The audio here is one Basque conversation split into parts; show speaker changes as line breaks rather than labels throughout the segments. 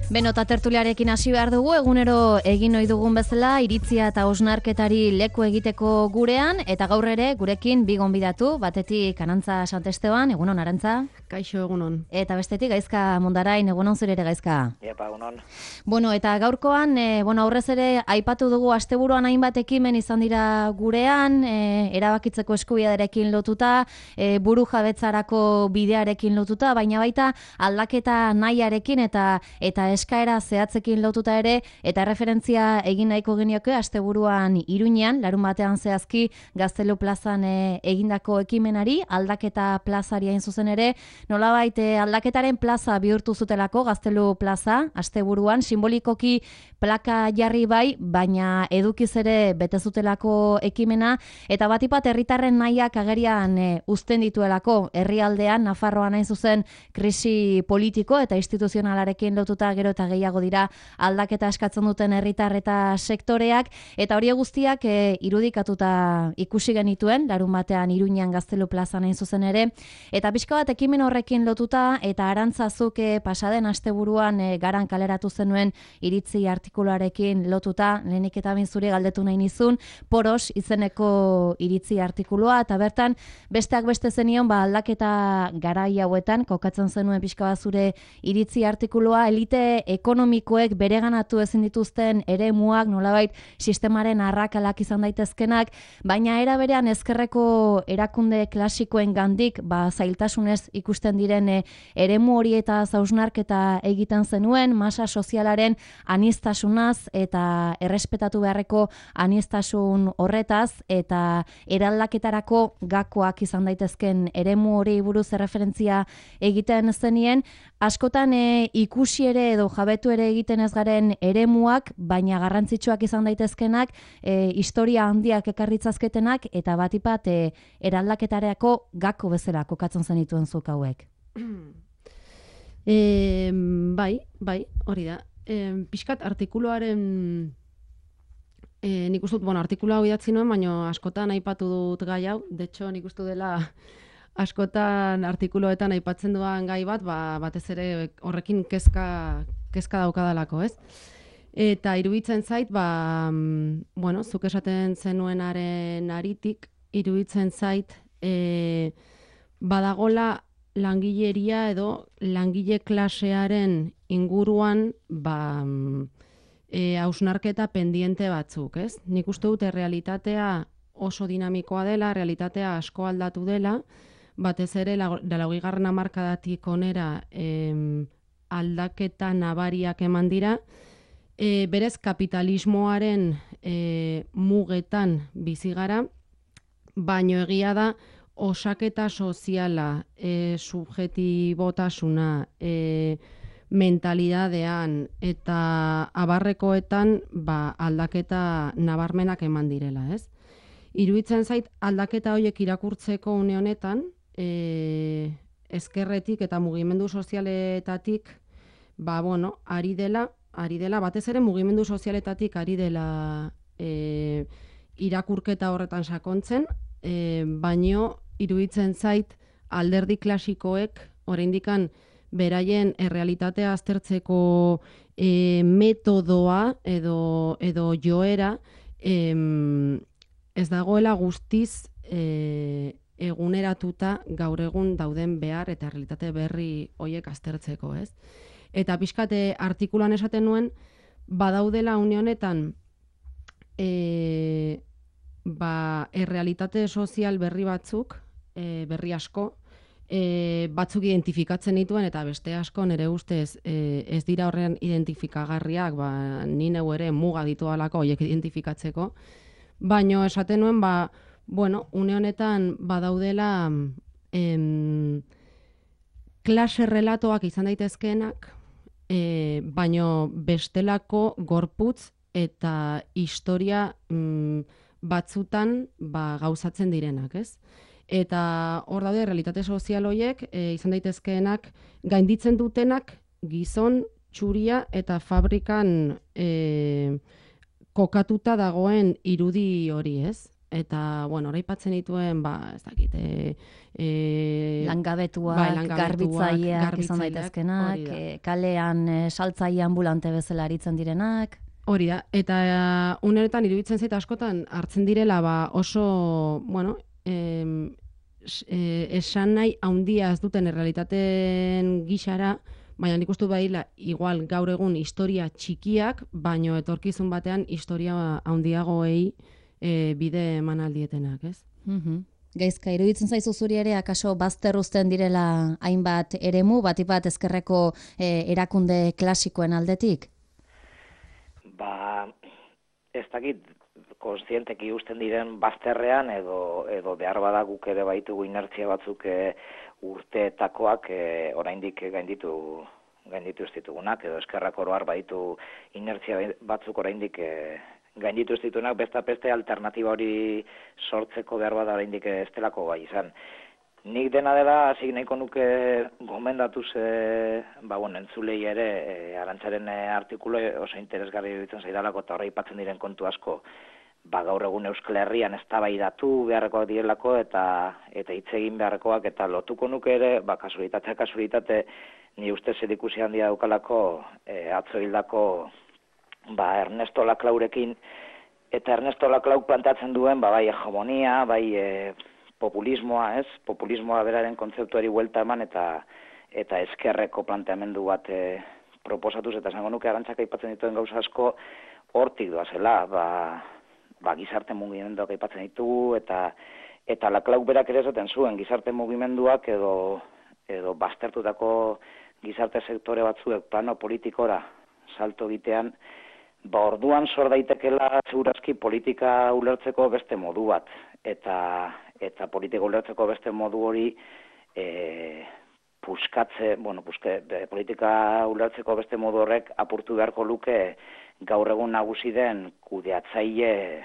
Beno, eta tertuliarekin hasi behar dugu, egunero egin ohi dugun bezala, iritzia eta hausnarketari leku egiteko gurean, eta gaur ere gurekin bi gonbidatu, batetik Arantza Santesteban, egunon Arantza.
Kaixo, egunon.
Eta bestetik Gaizka Mundarain, egunon zure ere Gaizka.
Epa, egunon.
Bueno, eta gaurkoan, aurrez ere aipatu dugu asteburuan hainbat ekimen izan dira gurean, erabakitzeko eskubidearekin lotuta, buru jabetzarako bidearekin lotuta, baina baita aldaketa nahiarekin eta eskaera zehatzekin lotuta ere, eta referentzia egin nahiko genioke asteburuan Iruñean, larunbatean zehazki Gaztelu plazan egindako ekimenari, aldaketa plazari hain zuzen ere, nolabait aldaketaren plaza bihurtu zutelako Gaztelu plaza, asteburuan, simbolikoki plaka jarri bai, baina edukiz ere bete zutelako ekimena, eta batipat herritarren nahiak agerian uzten dituelako herrialdean, Nafarroan hain zuzen krisi politiko eta instituzionalarekin lotuta gero eta gehiago dira aldaketa eskatzen duten herritar eta sektoreak, eta hori guztiak irudikatuta ikusi genituen, larunbatean Iruñean Gaztelu plazan hain zuzen ere, eta pixka bat ekimen horrekin lotuta, eta Arantzazuk pasaden asteburuan garan kaleratu zenuen iritzi artikuluarekin lotuta, lehenik eta zuri galdetu nahi nizun, Poros izeneko iritzi artikulua, eta bertan besteak beste zenion aldaketa garai hauetan, kokatzen zenuen pixka bat zure iritzi artikulua, elite ekonomikoek bereganatu ezin dituzten eremuak, nolabait sistemaren arrakalak izan daitezkenak, baina era berean ezkerreko erakunde klasikoen gandik, zailtasunez ikusten diren eremu hori eta hausnarketa egiten zenuen, masa sozialaren aniztasunaz eta errespetatu beharreko aniztasun horretaz, eta eraldaketarako gakoak izan daitezken eremu hori buruz erreferentzia egiten zenien, askotan ikusi ere edo jabetu ere egiten ez garen eremuak, baina garrantzitsuak izan daitezkenak, historia handiak ekarritzazketenak, eta batipat eraldaketarako gako bezala kokatzen zenituen zuk hauek.
Bai, hori da. Pixkat artikuluaren, nik uste dut, artikulua hau idatzi nuen, baina askotan aipatu dut gai hau, detxo nik uste dela askotan artikuluetan aipatzen duan gai bat, batez ere horrekin kezka daukadalako, ez? Eta iruditzen zait, zuk esaten zenuenaren aritik, iruditzen zait, badagola langileria edo langile klasearen inguruan hausnarketa pendiente batzuk, ez? Nik uste dute realitatea oso dinamikoa dela, realitatea asko aldatu dela, batez ere, 80. hamarkadatik onera aldaketa nabariak eman dira, berez kapitalismoaren mugetan bizi gara, baino egia da osaketa soziala, subjetibotasuna, mentalidadean eta abarrekoetan aldaketa nabarmenak eman direla, ez? Iruditzen zait aldaketa horiek irakurtzeko une honetan, ezkerretik eta mugimendu sozialetatik, ari dela, batez ere mugimendu sozialetatik ari dela irakurketa horretan sakontzen, baino iruditzen zait alderdi klasikoek oraindikan beraien errealitatea aztertzeko metodoa edo joera ez dagoela guztiz eguneratuta gaur egun dauden behar eta realitate berri horiek aztertzeko, ez? Eta pixkate artikuluan esaten nuen, badaudela une honetan errealitate sozial berri batzuk, berri asko, batzuk identifikatzen dituen eta beste asko nire ustez ez dira horren identifikagarriak, ni neu ere muga ditualako horiek identifikatzeko, baino esaten nuen, une honetan badaudela klase relatoak izan daitezkeenak, baino bestelako gorputz eta historia batzutan gauzatzen direnak, ez? Eta hor daude realitate sozial horiek izan daitezkeenak gainditzen dutenak gizon, txuria eta fabrikan kokatuta dagoen irudi hori, ez? eta, bueno, oraipatzen dituen, ez dakit,
langabetuak, garbitzaileak izan daitezkenak, kalean saltzaile ambulante bezala aritzen direnak.
Hori da, eta uneretan iruditzen zait askotan hartzen direla oso, bueno, esan nahi handia ez duten errealitateen gixara, baina nik uste baila igual gaur egun historia txikiak, baino etorkizun batean historia handiagoei bide eman aldietenak, ez?
Gaizka, iruditzen zaizu zuri ere, akaso bazter uzten direla hainbat eremu, batik bat ezkerreko erakunde klasikoen aldetik?
Ez dakit, kontzienteki usten diren bazterrean edo behar bada guk ere baitugu inertzia batzuk urteetakoak oraindik gainditu ez ditugunak, edo eskerrak oroar baitu inertzia batzuk oraindik gainditu ez ditugunak, beste alternatiba hori sortzeko behar bada oraindik ez delako gai izan. Nik dena dela, hasi nahiko nuke gomendatuz, entzulei ere, Arantzaren artikulu oso interesgarri iruditzen zaidalako eta horre aipatzen diren kontu asko, gaur egun Euskal Herrian eztabaidatu beharrekoak direlako eta hitz egin beharrekoak, eta lotuko nuke ere, kasualitate, ni uste zerikusi handia daukalako, atzo hildako Ernesto Laclaurekin, eta Ernesto Laclau planteatzen duen, bai hegemonia, bai populismoa, populismoa beraren kontzeptuari buelta eman eta ezkerreko planteamendu bat proposatuz, eta esango nuke Arantzak aipatzen dituen gauza asko hortik doazela, gizarte mugimenduak aipatzen ditugu, eta Laclau berak ere esaten zuen gizarte mugimenduak edo baztertutako gizarte sektore batzuek plano politikora salto egitean, orduan sor daitekela segurazki politika ulertzeko beste modu bat, eta politika ulertzeko beste modu hori politika ulertzeko beste modu horrek apurtu beharko luke gaur egun nagusi den kudeatzaile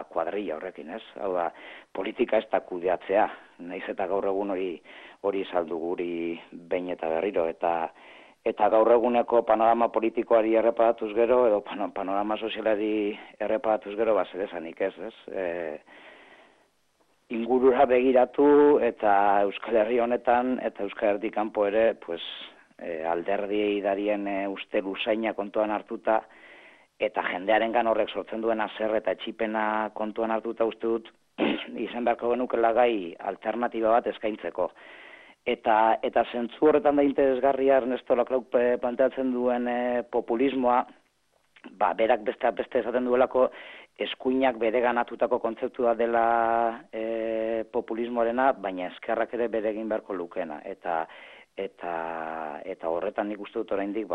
kuadrilla horrekin, ez? Hau da, politika ez da kudeatzea, naiz eta gaur egun hori saldu guri behin eta berriro, eta gaur eguneko panorama politikoari erreparatuz gero, edo panorama sozialari erreparatuz gero, zer esanik ez? Ingurura begiratu eta Euskal Herri honetan eta Euskal Herri kanpo ere alderdiei darien uste luzaina kontuan hartuta eta jendearengan horrek sortzen duen haser eta etxipena kontuan hartuta uste dut izan beharko genukela gai alternatiba bat eskaintzeko. Eta zentzu horretan da interesgarria Ernesto Laclau planteatzen duen populismoa, berak beste esaten duelako eskuinak bereganatutako kontzeptua dela populismoarena, baina ezkerrak ere bere egin beharko lukena. Eta horretan nik uste dut oraindik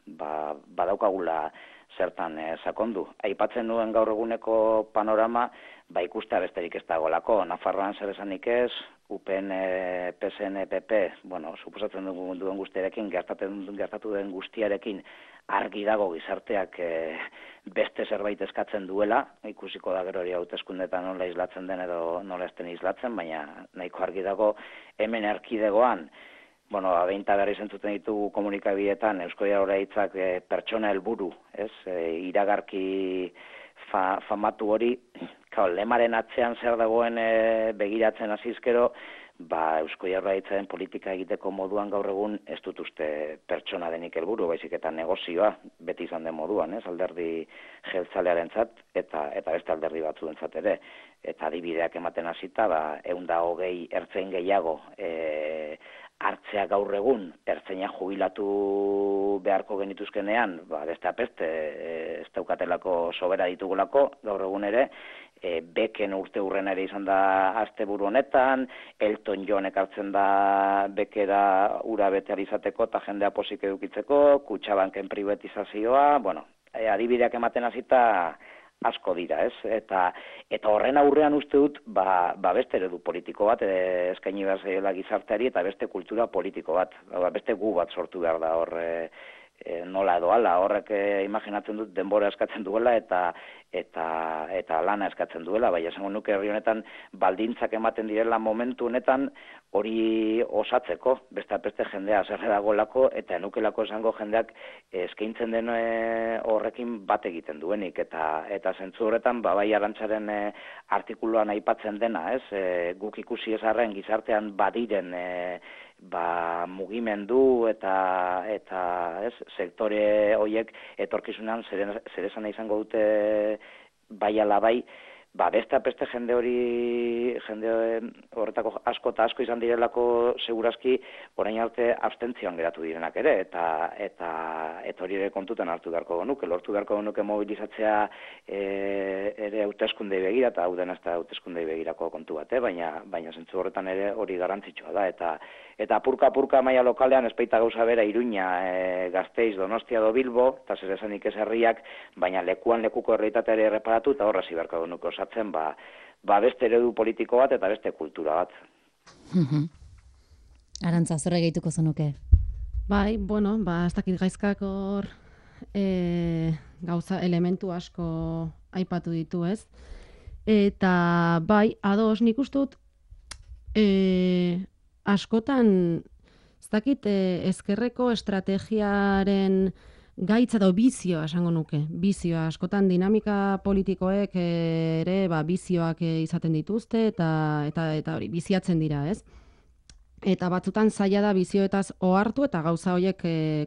badaukagula zertan sakondu. Aipatzen duen gaur eguneko panorama, ikustea besterik ez dagoelako. Nafarroan zer esanik ez, UPN, PSN, PP, suposatzen duen guztiarekin, gertatu den guztiarekin, argi dago gizarteak beste zerbait eskatzen duela, ikusiko da gero hori hauteskundetan nola islatzen den edo nola ez den islatzen, baina nahiko argi dago hemen erkidegoan, behinta berri zentzuten ditugu komunikabideetan, Eusko Jaurlaritzak pertsona helburu, iragarki famatu hori, lemaren atzean zer dagoen begiratzen hasizkero, Eusko Jaurlaritzaren politika egiteko moduan gaur egun ez dut uste pertsona denik helburu, baizik eta negozioa beti izan den moduan, alderdi jeltzalearentzat eta beste alderdi batzuentzat ere. Eta adibideak ematen hasita, 120 ertzain gehiago hartzea gaur egun, ertzaina jubilatu beharko genituzkenean, beste apeste, ez daukatelako sobera ditugulako, gaur egun ere, beken urte hurren ere izan da asteburu honetan, Elton Johnek hartzen da bekera ura betear izateko eta jendea posik edukitzeko, Kutxabanken privatizazioa, adibideak ematen hasita asko dira, ez? Eta horren aurrean uste dut, beste eredu politiko bat, eskaini behar zaiola gizarteari, eta beste kultura politiko bat, beste gu bat sortu behar da hor nola edo ala, horrek imaginatzen dut denbora eskatzen duela eta lana eskatzen duela, bai esango nuke herri honetan baldintzak ematen direla momentu honetan hori osatzeko, beste jendea zerre dagoelako eta enukelako esango jendeak eskaintzen den horrekin bat egiten duenik eta zentzu horretan bai Arantzaren artikuluan aipatzen dena, guk ikusi ezarren gizartean badiren mugimendu eta sektore horiek etorkizunean zer esan izango dute bai ala bai, beste jende horretako asko eta asko izan direlako segurazki orain arte abstentzioan geratu direnak ere eta hori ere kontutan hartu beharko genuke, lortu beharko genuke mobilizatzea ere hauteskundei begira eta hau dena ez da hauteskundei begirako kontu bat, baina zentzu horretan ere hori garrantzitsua da eta apurka maila lokalean espaita gauza bera Iruña, Gasteiz, Donostia edo Bilbo, eta zer esanik ez herriak, baina lekuko errealitateari erreparatu eta horra ziberko genuke osatzen, beste eredu politiko bat eta beste kultura bat.
Arantza, zorre gehituko zenuke?
Bai, bueno, ez dakit gaizkak hor gauza elementu asko aipatu ditu, ez? Eta bai, ados, nik ustut askotan, ez dakit ezkerreko estrategiaren gaitza edo bizioa esango nuke. Bizioa, askotan dinamika politikoek ere bizioak izaten dituzte eta hori biziatzen dira, ez? Eta batzutan zaila da bizioetaz ohartu eta gauza horiek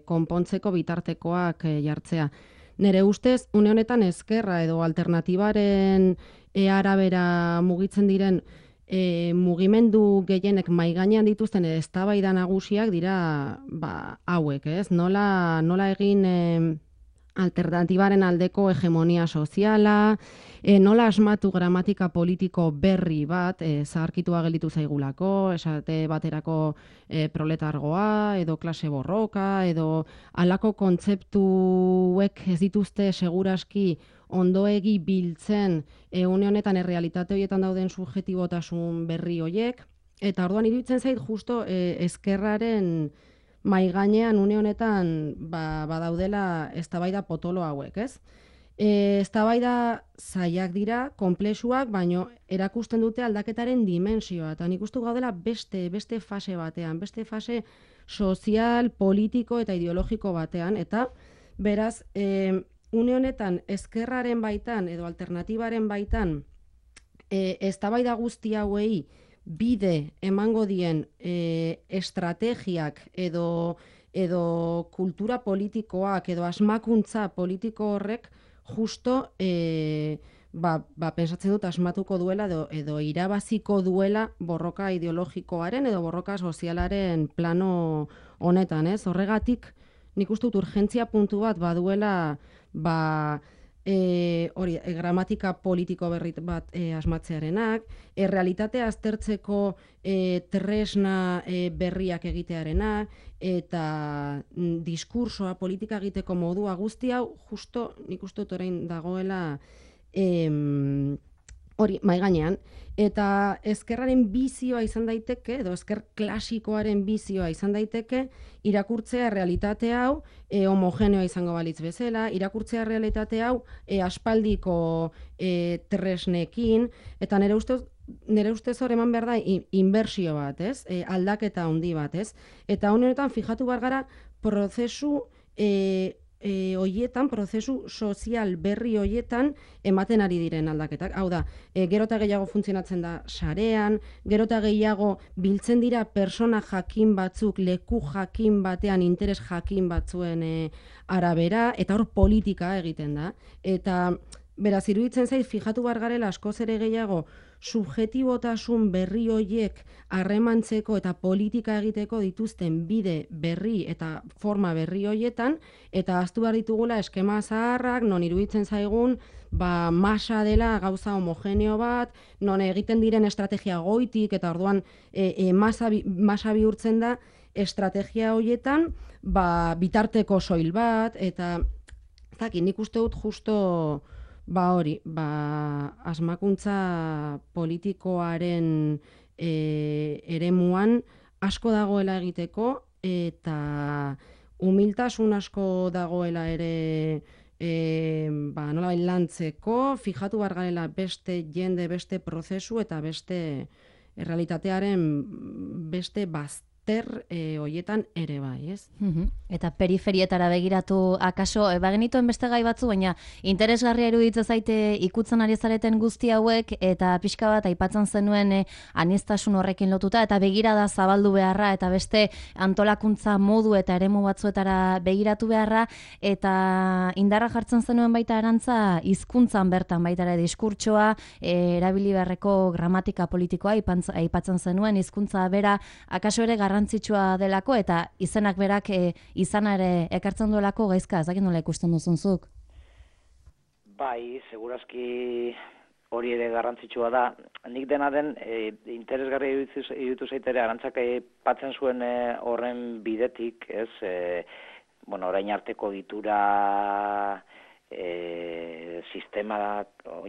konpontzeko bitartekoak jartzea. Nere ustez, une honetan ezkerra edo alternatibaren arabera mugitzen diren mugimendu gehienek maigainean dituzten eztabaida nagusiak dira hauek, ez? Nola egin alternatibaren aldeko hegemonia soziala, nola asmatu gramatika politiko berri bat, zaharkitua gelditu zaigulako, esate baterako proletargoa, edo klase borroka, edo halako kontzeptuek ez dituzte seguraski ondoegi biltzen une honetan errealitate horietan dauden subjetibotasun berri horiek, eta orduan iruditzen zait justo ezkerraren maigainean une honetan badaudela eztabaida potolo hauek, ez? Eztabaida zailak dira, konplexuak, baino erakusten dute aldaketaren dimensioa, eta nik uste gaudela beste fase batean, beste fase sozial, politiko eta ideologiko batean, eta beraz, une honetan ezkerraren baitan edo alternatibaren baitan eztabaida guzti hauei bide emango dien estrategiak edo kultura politikoak edo asmakuntza politiko horrek justo pensatzen dut asmatuko duela edo irabaziko duela borroka ideologikoaren edo borroka sozialaren plano honetan, ez? Horregatik nik uste dut urgentzia puntu bat baduela gramatika politiko berri bat asmatzearenak, realitatea aztertzeko tresna berriak egitearenak, eta diskursoa, politika egiteko modua guzti hau, justo nik uste dut orain dagoela hori maiganean, eta ezkerraren bizioa izan daiteke, edo ezker klasikoaren bizioa izan daiteke, irakurtzea realitate hau homogeneoa izango balitz bezala, irakurtzea realitate hau aspaldiko tresnekin, eta nire ustez hor eman behar da inbertsio bat, ez? Aldaketa handi bat, ez? Eta honetan fijatu behar gara prozesu prozesu sozial berri hoietan ematen ari diren aldaketak. Hau da, gero eta gehiago funtzionatzen da sarean, gero eta gehiago biltzen dira persona jakin batzuk, leku jakin batean, interes jakin batzuen arabera, eta hor politika egiten da. Eta beraz, iruditzen zait, fijatu behar garela askoz ere gehiago subjetibotasun berri hoiek harremantzeko eta politika egiteko dituzten bide berri eta forma berri hoietan, eta ahaztu behar ditugula eskema zaharrak, non iruditzen zaigun masa dela gauza homogeneo bat, non egiten diren estrategia goitik, eta orduan masa bihurtzen da estrategia hoietan bitarteko soil bat, eta nik uste dut justo asmakuntza politikoaren eremuan asko dagoela egiteko, eta humiltasun asko dagoela ere nolabait lantzeko, fijatu behar garela beste jende, beste prozesu eta beste errealitatearen beste bazter hoietan ere bai, ez?
Eta periferietara begiratu akaso, bagenituen beste gai batzu, baina interesgarria iruditzen zaite ikutzen ari zareten guzti hauek, eta pixka bat aipatzen zenuen aniztasun horrekin lotuta, eta begirada zabaldu beharra, eta beste antolakuntza modu eta eremu batzuetara begiratu beharra, eta indarra jartzen zenuen baita Arantza hizkuntzan bertan baita ere diskurtsoa, erabili beharreko gramatika politikoa aipatzen zenuen, hizkuntza bera akaso ere garrantzitsua delako, eta izenak berak izana ere ekartzen duelako gaizka, ez dakit nola ikusten duzunzuk?
Bai, segurazki hori ere garrantzitsua da. Nik dena den, interesgarri iruditu zaitere, Arantzak aipatzen zuen horren bidetik, ez, orain arteko ditura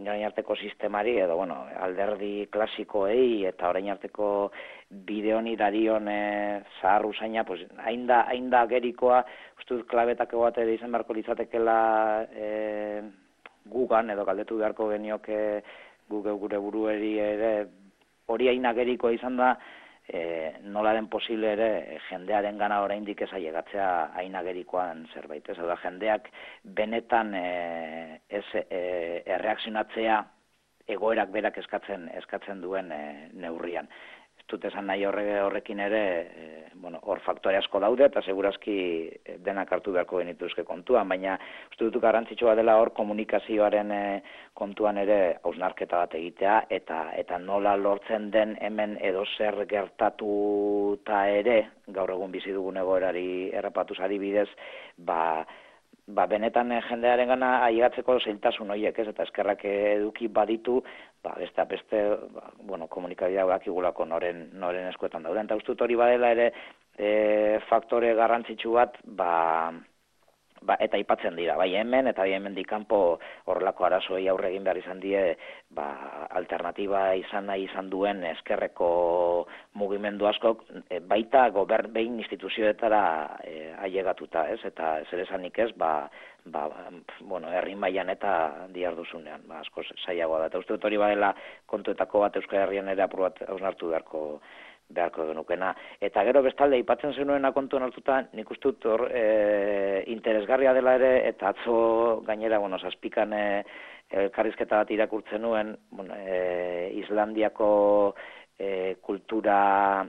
orain arteko sistemari, edo, alderdi klasikoei, eta orain arteko bide honi darion zahar usaina, hain da gerikoa, uste dut klabetako bat ere izan beharko litzatekela gugan, edo galdetu beharko genioke gure burueri ere, hori hain agerikoa izan da, nola den posible ere jendearen gana oraindik ez ailegatzea hain agerikoan zerbait. Ez da, jendeak benetan ez erreakzionatzea egoerak berak eskatzen duen neurrian. Ez dut esan nahi horrekin ere, hor faktore asko daude, eta segurazki denak hartu beharko genituzke kontuan, baina uste dut garrantzitsua dela hor komunikazioaren kontuan ere hausnarketa bat egitea, eta nola lortzen den hemen edo zer gertatuta ere, gaur egun bizi dugun egoerari errapatuz adibidez, benetan jendearen gana ailegatzeko zailtasun horiek, ez, eta eskerrak eduki baditu, beste komunikabideak igulako noren eskuetan dauden. Eta uste dut hori badela ere faktore garrantzitsu bat, eta aipatzen dira, bai hemen eta bai hemendik kanpo horrelako arazoei aurre egin behar izan die, alternatiba izan nahi izan duen eskerreko mugimendu askok, baita behin instituzioetara ailegatuta, ez? Eta zer esanik ez, herri mailan eta diharduzunean, asko zailagoa da. Eta uste dut hori badela kontuetako bat Euskal Herrian ere apur bat hausnartu beharko genukena. Eta gero bestalde, aipatzen zenuena kontuan hartuta, nik uste dut hor interesgarria dela ere, eta atzo gainera, zazpikan elkarrizketa bat irakurtzen nuen, Islandiako kultura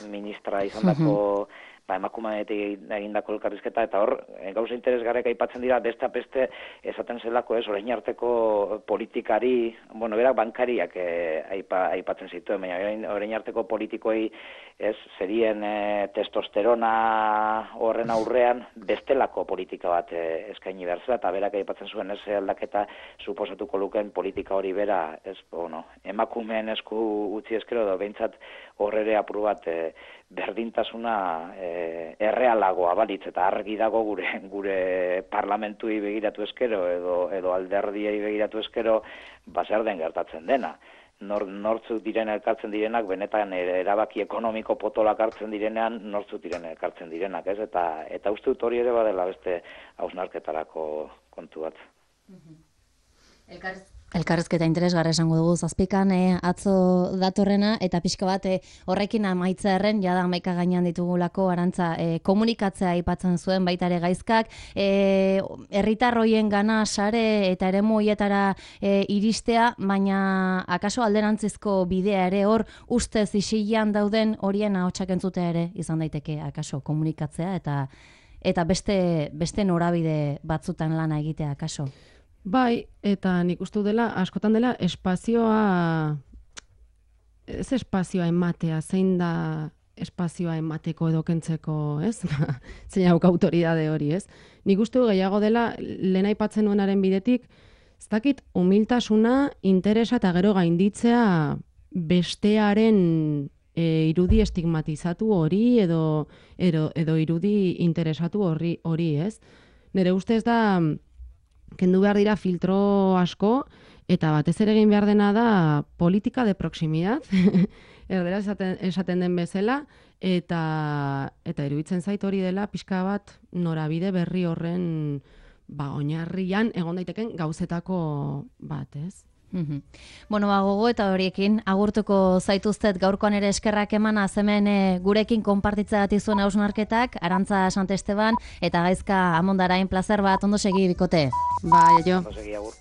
ministra izandako emakumeetik egindako elkarrizketa, eta hor, gauza interesgarriak aipatzen dira, beste esaten zelako ez, orain arteko politikari, berak bankariak aipatzen zituen, baina orain arteko politikoi ez, zerien testosterona horren aurrean, bestelako politika bat eskaini behar zela, eta berak aipatzen zuen ez aldaketa suposatuko luken politika hori bera, ez, emakumeen esku utzi eskero, edo behintzat horrere apur bat berdintasuna errealagoa balitz, eta argi dago gure parlamentui begiratu eskero edo alderdiei begiratu eskero zer den gertatzen dena. Nortzuk diren elkartzen direnak, benetan erabaki ekonomiko potolak hartzen direnean, nortzuk diren elkartzen direnak, ez? Eta uste dut hori ere badela beste hausnarketarako kontu bat.
Elkarrizketa interesgarra esango dugu zazpikan atzo datorrena, eta pixka bat horrekin amaitzearen, jada 11 gainean ditugulako Arantza komunikatzea aipatzen zuen baita ere gaizkak, herritar hoien gana sare eta eremu hoietara iristea, baina akaso alderantzizko bidea ere hor ustez isilean dauden horien ahotsak entzutea ere izan daiteke akaso komunikatzea eta beste norabide batzutan lana egitea akaso.
Bai, eta nik uste dela, askotan dela, espazioa ematea, zein da espazioa emateko edo kentzeko, ez? Zein hauk autoridade hori, ez? Nik uste gehiago dela, lehen aipatzen nuenaren bidetik, ez dakit, humiltasuna, interesa eta gero gainditzea bestearen irudi estigmatizatu hori edo irudi interesatu hori, ez? Nire ustez da, kendu behar dira filtro asko, Eta batez ere egin behar dena da politika de proximidad, erdera esaten den bezala, eta iruditzen zait hori dela pixka bat norabide berri horren oinarrian egon daiteken gauzetako bat, ez?
Bueno, gogo eta horiekin agurtuko zaituztet gaurkoan ere eskerrak eman hemen gurekin konpartitzea zuen hausnarketak, Arantza Santesteban eta Gaizka Amondarain, plazer bat, ondo segi bikote.
Bai, jo.
Ondo segi, agur.